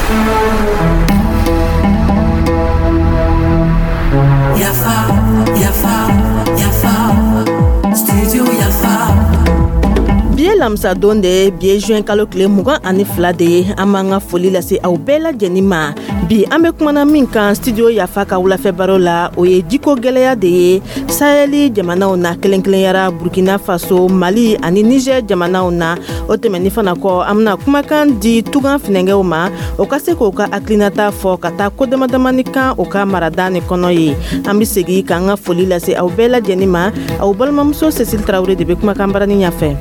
Yafa, yafa, yafa, studio Yafa. Bi ye lamisadon de ye, bi ye juin kalo tile 22 de ye. An b'an ka foli lase aw bɛɛ lajɛlen ma. Bi an bɛ kumana min kan studio Yafa ka wulafɛ baro la, o ye jiko gɛlɛya de ye Sahɛli jamanaw na, kelen kelenyara Burkina Faso, Mali ani Niger jamanaw na. O tɛmɛni fana kɔ, an bɛna kumakan di tugan finɛgɛw ma, o ka se k'o ka hakilinata fɔ ka taa ko damadamani kan o ka marada nin kɔnɔ ye. An bɛ segin k'an ka foli lase aw bɛɛ lajɛlen ma. Aw balimamuso Cécile Tarawele de bɛ kumakan barani ɲɛfɛ.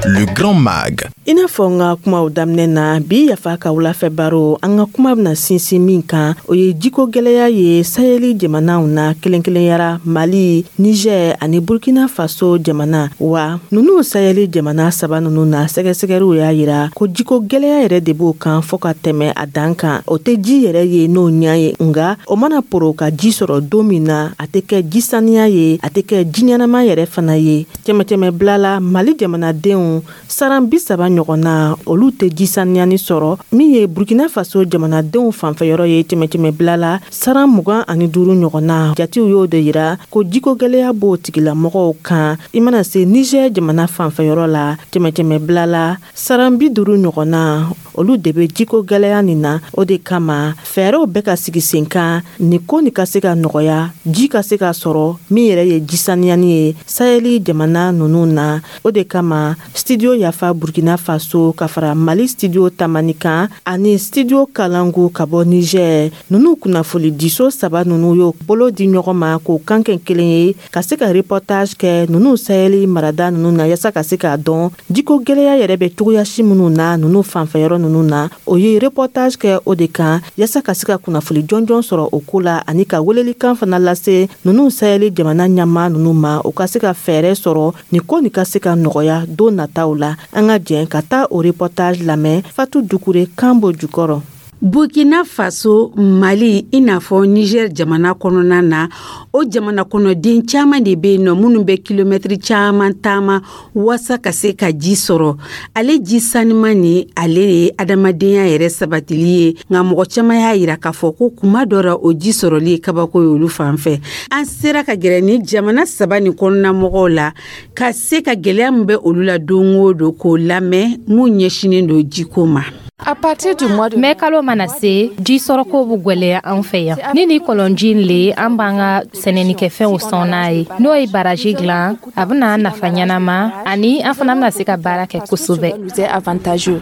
Le Grand Mag. I n'a fɔ n ka kumaw daminɛ na, bi Yafa ka wulafɛ baro, an ka kuma bɛna sinsin min kan, o ye jiko gɛlɛya ye Sahɛli jamanaw na, kelen kelenyara Mali, Niger ani Burkina Faso jamana. Wa ninnu Sahɛli jamana saba ninnu na, sɛgɛsɛgɛliw y'a yira ko jiko gɛlɛya yɛrɛ de b'o kan fɔɔ ka tɛmɛ a dan kan. O tɛ ji yɛrɛ ye n'o ɲa ye, nka o mana poro ka ji sɔrɔ don min na, a tɛ kɛ ji saniya ye, a tɛ kɛ ji ɲɛnama yɛrɛ fana ye. Cɛmɛcɛmɛ bila la, Mali jamanadenw saran 30 ɲɔgɔn na, olu tɛ ji saniyani sɔrɔ. Min ye Burkina Faso jamanadenw fanfɛyɔrɔ ye, cɛmɛcɛmɛ bila la, saran 25 ɲɔgɔn na, jatew y'o de yira ko jiko gɛlɛya b'o tigilamɔgɔw kan. I mana se Niger jamana fanfɛyɔrɔ la, cɛmɛcɛmɛ bila la, saran 50 ɲɔgɔn na, olu de bɛ jiko gɛlɛya nin na. O de kama fɛɛrɛw bɛ ka sigi sen kan nin ko nin ka se ka nɔgɔya, ji ka se ka sɔrɔ min yɛrɛ ye ji saniyani ye Sahɛli jamana ninnu na. O de kama studio Yafa Burkina Faso ka fara Mali studio Tamani kan ani studio Kalangu ka bɔ Niger, ninnu kunnafoni diso saba ninnu y'o bolo di ɲɔgɔn ma k'o kan kɛ kelen ye ka se ka reportage kɛ ninnu Sahɛli marada ninnu na, yasa ka se k'a dɔn jiko gɛlɛya yɛrɛ bɛ cogoya si minnu na ninnu fanfɛyɔrɔ ninnu na. O ye reportage kɛ o de kan yasa ka se ka kunnafoni jɔnjɔn sɔrɔ o ko la, ani ka welelikan fana lase ninnu Sahɛli jamana ɲɛmaa ninnu ma, u ka se ka fɛɛrɛ sɔrɔ nin ko nin ka se ka nɔgɔya don nataw la. An ka jɛn ka taa o reportage lamɛn. Fatu Dukure kan b'o jukɔrɔ. Burkina Faso, Mali, i n'a fɔ Niger jamana kɔnɔna na, o jamana kɔnɔden caman de bɛ yen nɔ minnu bɛ kilomɛtiri caman taama waasa ka se ka ji sɔrɔ. Ale ji saniman ni ale ye adamadenya yɛrɛ sabatili ye, nka mɔgɔ caman y'a yira k'a fɔ ko kuma dɔ la, o ji sɔrɔli ye kabako ye olu fan fɛ. An sera ka gɛrɛ ni jamana saba nin kɔnɔna mɔgɔw la ka se ka gɛlɛya min bɛ olu la don o don k'o lamɛn, mun ɲɛsinnen don jiko ma. À partir du mois de Mɛ kalo mana se, ji sɔrɔko bɛ gwɛlɛya an fɛ yan. Ni ni kɔlɔnji le, an b'an ka sɛnɛnikɛfɛnw sɔn n'a ye. N'o ye baraji dilan, a bɛna an nafa ɲɛnama, ani an fana bɛna se ka baara kɛ kosɛbɛ. Nous est avantageux.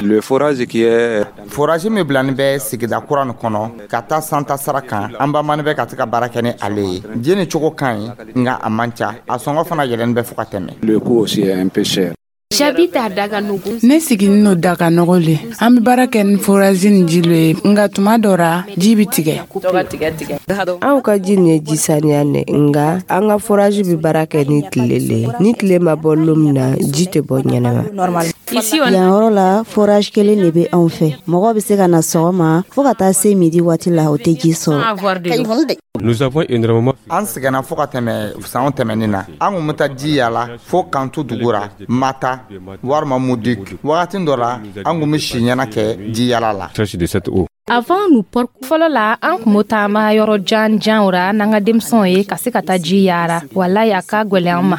Le forage qui est Forage min bilani bɛ sigida kura nin kɔnɔ ka taa santa sara kan, an bamani bɛ ka se ka baara kɛ ni ale ye. Ji ni cogo ka ɲi, nka a man ca, a sɔngɔ fana yɛlɛni bɛ fo ka tɛmɛ. Le coût aussi est un peu cher. J'habite à Daganogo. Ne siginin no Daganɔgɔ le. An be baara kɛ ni forage ni ji lo ye, nga tuma dɔ ra, ji bi tigɛ. Anw ka ji nin ye ji saniya ne, nga an ka forage bi baara kɛ ni tile le ye. Ni tile ma bɔ lon min na, ji tɛ bɔ ɲɛnama. Ici, on Yan yɔrɔ la, forage kelen de bɛ anw fɛ. Mɔgɔ bɛ se ka na sɔgɔma fɔɔ ka taa se midi waati la, o tɛ ji sɔrɔ. Avoir de l'eau. Nous avons énormément An sɛgɛnna fo ka tɛmɛ sanw tɛmɛnin na. An kun bɛ taa ji yala fo kantu dugu ra, Mata walima Mudik. Wagati dɔ la, an kun bɛ si ɲɛna kɛ ji yala la. Cherche de cette eau. Avant, nous Fɔlɔ la, an kun bɛ taama yɔrɔ jan janw ra n'an ka denmisɛnw ye ka se ka taa ji yaara. Walayi, a ka gwɛlɛn an ma.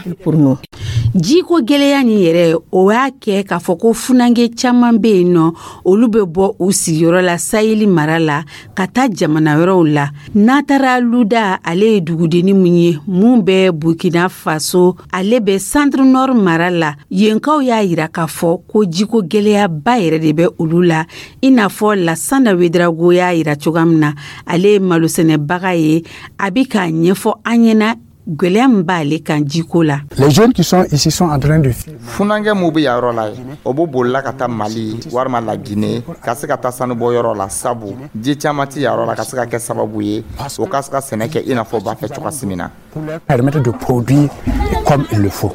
Jiko gɛlɛya nin yɛrɛ, o y'a kɛ k'a fɔ ko funankɛ caman bɛ yen nɔ, olu bɛ bɔ u sigiyɔrɔ la Saheli mara la ka taa jamana wɛrɛw la. N'a taara Luda, ale ye dugudenni mun ye mun bɛ Burkina Faso, ale bɛ Centre Nord mara la. Yenkaw y'a yira k'a fɔ ko jiko gɛlɛyaba yɛrɛ de bɛ olu la, i n'a fɔ Lasana Wedrago y'a yira cogoya min na. Ale ye malosɛnɛbaga ye, a bi k'a ɲɛfɔ an ɲɛna gwɛlɛya min b'ale kan jiko la. Les jeunes qui sont ici sont en train de fuir. Funankɛ mun bɛ yan yɔrɔ la ye, o b'o bolila ka taa Mali walima Lagine ka se ka taa sanubɔ yɔrɔ la, sabu ji caman ti yan yɔrɔ la ka se ka kɛ sababu ye o ka se ka sɛnɛ kɛ i n'a fɔ u b'a fɛ cogoya min na. Pour leur permettre de produire comme il le faut.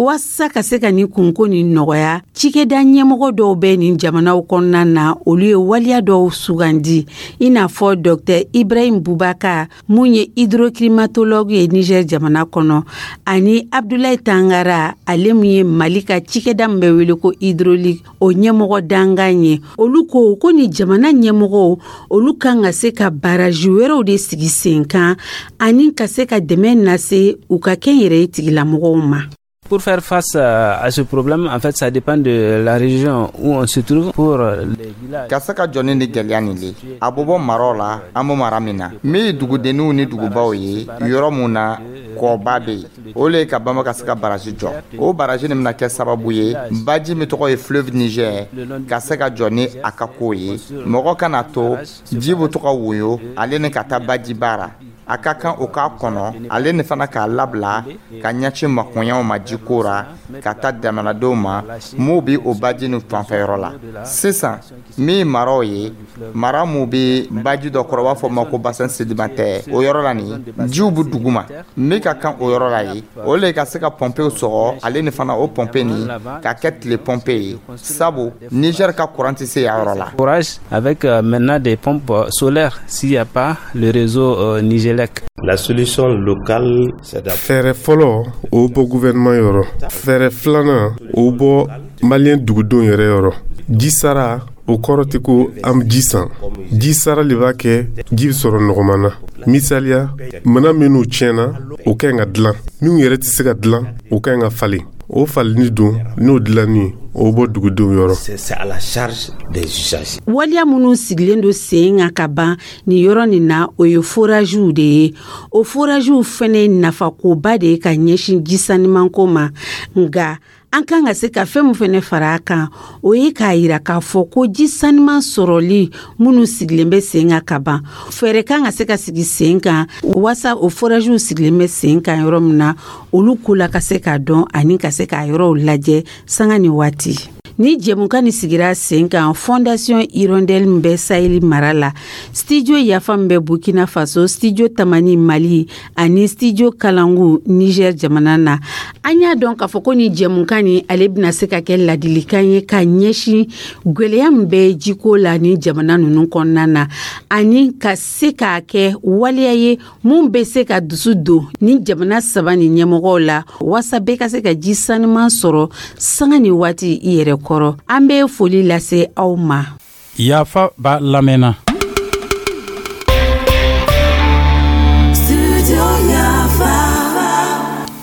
Waasa ka se ka nin kunko nin nɔgɔya, cikɛda ɲɛmɔgɔ dɔw bɛ nin jamanaw kɔnɔna na, olu ye waleya dɔw sugandi, i n'a fɔ Dr Ibrahim Bubakar, mun ye hydroclimatologue ye Niger jamana kɔnɔ, ani Abdulayi Tangara, ale mun ye Mali ka cikɛda min bɛ wele ko hydraulique, o ɲɛmɔgɔ dankan ye. Olu ko ko ni jamana ɲɛmɔgɔw, olu kan ka se ka baraji wɛrɛw de sigi sen kan ani ka se ka dɛmɛ lase u ka kɛnyɛrɛye tigilamɔgɔw ma. Pour faire face à ce problème, en fait, ça dépend de la région où on se trouve. Pour les villages. Ka se ka jɔ ni gɛlɛya nin le, a bɛ bɔ maraw la. An bɛ mara min na, min ye dugudenninw ni dugubaw ye, yɔrɔ mun na kɔba bɛ yen, o le ye ka banba ka se ka baraji jɔ. O baraji nin bɛna kɛ sababu ye, baji min tɔgɔ ye fleuve Niger, ka se ka jɔ ni a ka ko ye. Mɔgɔ kana to ji bɛ to ka woyo ale ni ka taa bajiba ra. A ka kan o k'a kɔnɔ, ale ni fana k'a labila ka ɲɛsin makoɲɛw ma jiko ra, ka taa jamanadenw ma m'u bi o baji nin fanfɛyɔrɔ la. Sisan, min ye maraw ye, mara mun bɛ baji dɔ kɔrɔ, u b'a fɔ ma ko bassin sédimentaire, o yɔrɔ la nin, jiw bɛ duguma. Min ka kan o yɔrɔ la ye, o le ka se ka pɔnpew sɔgɔ, ale ni fana o pɔnpe nin ka kɛ tile pɔnpe ye, sabu Niger ka courant tɛ se yan yɔrɔ la. Forage avec maintenant des pompes solaires s'il n'y a pas le réseau Nigelec. La solution locale, c'est Fɛɛrɛ fɔlɔ, o bɔ gouvernement yɔrɔ. Fɛɛrɛ filanan, o bɔ maliyɛn dugudenw yɛrɛ yɔrɔ. Ji sara, o kɔrɔ tɛ ko an bɛ ji san. Ji sara le b'a kɛ ji bɛ sɔrɔ nɔgɔman na. Misaliya, mana minnu tiɲɛna, o ka ɲi ka dilan. Minnu yɛrɛ tɛ se ka dilan, o ka ɲi ka falen. O falenni dun, n'o dilanni, o bɔ dugudenw yɔrɔ. C'est à la charge des usagers. Waleya minnu sigilen don sen kan ka ban nin yɔrɔ nin na, o ye forajiw de ye. O forajiw fɛnɛ nafakoba de ye ka ɲɛsin ji sanimanko ma. Nga an kan ka se ka fɛn min fɛnɛ fara a kan, o ye k'a yira k'a fɔ ko ji saniman sɔrɔli minnu sigilen bɛ sen kan ka ban, fɛɛrɛ kan ka se ka sigi sen kan waasa o forajiw sigilen bɛ sen kan yɔrɔ min na, olu ko la ka se k'a dɔn ani ka se k'a yɔrɔw lajɛ sanga ni waati. Ni jɛmukan ni sigira sen kan, Fondation Hirondelle min bɛ Saheli mara la, Studio Yafa min bɛ Burkina Faso, Studio Tamani Mali ani Studio Kalangu Niger jamana na, an y'a dɔn k'a fɔ ko ni jɛmukan ni ale bɛna se ka kɛ ladilikan ye ka ɲɛsin gwɛlɛya min bɛ jiko la ni jamana ninnu kɔnɔna na, ani ka se k'a kɛ waleya ye mun bɛ se ka dusu don ni jamana saba ni ɲɛmɔgɔw la, waasa bɛɛ ka se ka ji saniman sɔrɔ sanga ni waati i yɛrɛ kɔrɔ. An bɛ foli lase aw ma. Yafa b'a lamɛnna. Studio Yafa.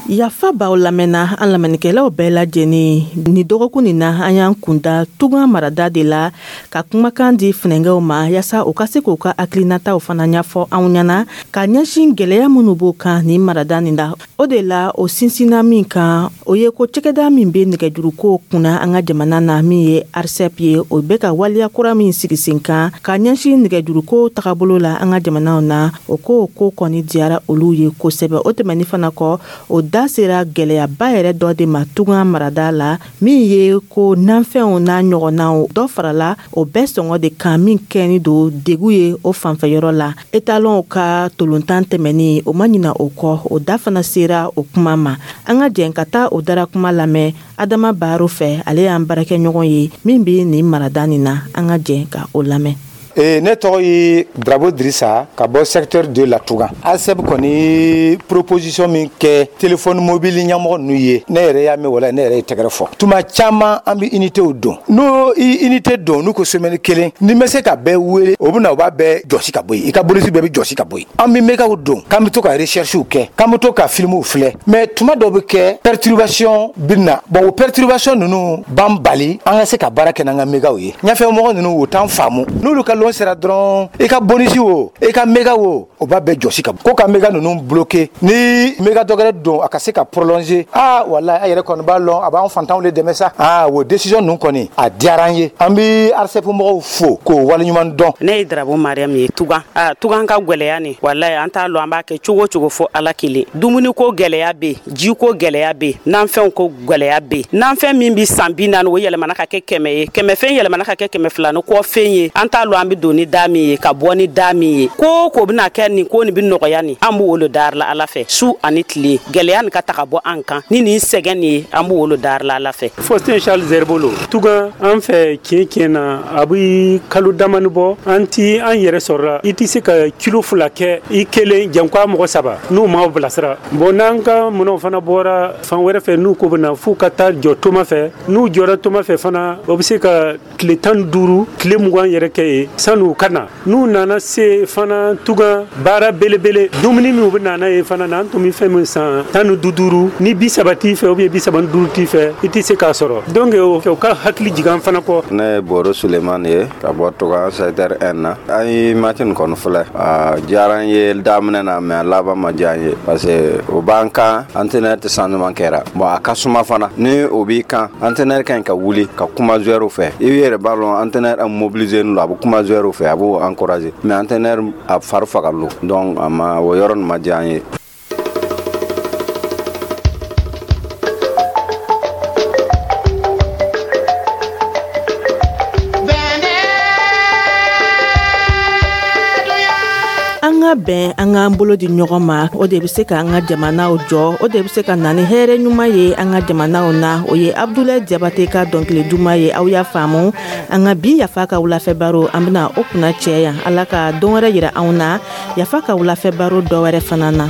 Yafa b'aw lamɛnna, an lamɛnnikɛlaw bɛɛ lajɛlen. Ni dɔgɔkun nin na, an y'an kunda Tunga marada de la ka kumakan di funɛnkɛw ma, yaasa u ka se k'u ka hakilinataw fana ɲɛfɔ anw ɲɛna ka ɲɛsin gwɛlɛya minnu b'o kan nin marada nin la. O de la, o sinsinna min kan, o ye ko cɛkɛda min bɛ nɛgɛjuruko kunna an ka jamana na, min ye ARCEP ye, o bɛ ka waleya kura min sigi sen kan ka ɲɛsin nɛgɛjuruko tagabolo la an ka jamanaw na, o ko ko kɔni diyara olu ye kosɛbɛ. O tɛmɛni fana kɔ, o da sera gɛlɛyaba yɛrɛ dɔ de ma Tunga marada la, min ye ko nanfɛnw n'a ɲɔgɔnnaw dɔ farala o bɛɛ sɔngɔ de kan, min kɛni don degu ye o fanfɛyɔrɔ la. Etalɔnw ka tolontan tɛmɛni, o ma ɲina o kɔ, o da fana sera o kuma ma. An ka jɛn ka taa o dara kuma lamɛn Adama Baro fɛ, ale y'an baarakɛɲɔgɔn ye min bɛ nin marada nin na. An ka jɛn ka o lamɛn. Ne tɔgɔ ye Drabo Dirisa ka bɔ secteur de la Touga. ARCEP kɔni proposition min kɛ téléphone mobile ɲɛmɔgɔ ninnu ye, ne yɛrɛ y'a mɛn, wala ne yɛrɛ ye tɛgɛrɛ fɔ. Tuma caman an bɛ unitéw don, n'o i unité don, n'u ko semaine kelen, n'i ma se ka bɛɛ wele, o bɛ na u b'a bɛɛ jɔsi ka bɔ yen, i ka bolisi bɛɛ bɛ jɔsi ka bɔ yen. An bɛ mégaw don, k'an bɛ to ka recherchew kɛ, k'an bɛ to ka filmw filɛ, mais tuma dɔw bɛ kɛ perturbation bɛ na. Bon, o perturbation ninnu b'an bali an ka se ka baara kɛ n'an ka mégaw ye. Ɲɛfɛ mɔgɔ ninnu, u t'an faamu. N'olu ka lon sera dɔrɔn, i ka bonus o, i ka méga o, o b'a bɛɛ jɔsi ka ko ka méga ninnu bloqué. Ni méga dɔ wɛrɛ don, a ka se ka prolonger. Ah walahi, a yɛrɛ kɔni b'a lɔn, a b'an fantanw de dɛmɛ sa. Ah, o décision ninnu kɔni, a diyara an ye. An bɛ ARCEP mɔgɔw fo k'o waleɲuman dɔn. Ne ye Darabo Mariam ye Tugan. A Tugan ka gwɛlɛya ni, walayi, an t'a lɔn an b'a kɛ cogo cogo fo Ala kelen. Dumuni ko gwɛlɛya be, ji ko gwɛlɛya be, nanfɛnw ko gwɛlɛya be. Nanfɛn min bi san 40, o yɛlɛmana ka kɛ 100 ye, kɛmɛ fɛn yɛlɛmana ka kɛ 200 ni kɔ fɛn ye. An t'a lɔn an. An bɛ don ni da min ye, ka bɔ ni da min ye, ko ko bɛna kɛ nin ko nin bɛ nɔgɔya nin, an b'o le dari la Ala fɛ su ani tile. Gɛlɛya nin ka ta ka bɔ an kan ni nin sɛgɛn nin ye, an b'o le dari la Ala fɛ. Faustin Charles Zerbolo, Tugan. An fɛ, tiɲɛ tiɲɛ na, a bɛ kalo damani bɔ, an ti an yɛrɛ sɔrɔla. I tɛ se ka kilo 2 kɛ i kelen, janko a mɔgɔ saba n'u m'aw bilasira. Bon, n'an ka minɛnw fana bɔra fan wɛrɛ fɛ, n'u ko bɛ na f'u ka taa jɔ toma fɛ, n'u jɔra toma fɛ fana, o bɛ se ka tile 15, tile 20 yɛrɛ kɛ yen san'u ka na. N'u nana se fana, Tugan baara belebele, dumuni min u bɛ na ye fana na, an tun bɛ fɛn min san 15, ni 30 t'i fɛ ou bien 35 t'i fɛ, i tɛ se k'a sɔrɔ. Donc o ka hakili jigin an fana kɔ. Ne ye Boro Sulemani ye ka bɔ Tugan, secteur 1 na. An ye match nin kɔni filɛ, a diyara an ye daminɛ na, mais a laban ma diya an ye, parce que o b'an kan, entraîneur tɛ changement kɛra. Bon, a ka suma fana, ni o b'i kan, entraîneur ka ɲi ka wuli ka kuma joueur fɛ. I yɛrɛ b'a lɔn, entraîneur mobilisé don, a bɛ kuma joueur fɛ, a b'o encourager, mais entraîneur a fari faga lo. Donc a ma, o yɔrɔ nin ma diya an ye. An ka bɛn, an k'an bolo di ɲɔgɔn ma, o de bɛ se ka an ka jamanaw jɔ, o de bɛ se ka na ni hɛrɛ ɲuman ye an ka jamanaw na. O ye Abudulayi Jabate ka dɔnkili duman ye. Aw y'a faamu, an ka bi Yafa ka wulafɛ baro, an bɛna o kunna cɛ yan. Ala ka don wɛrɛ yira anw na, Yafa ka wulafɛ baro dɔ wɛrɛ fana na.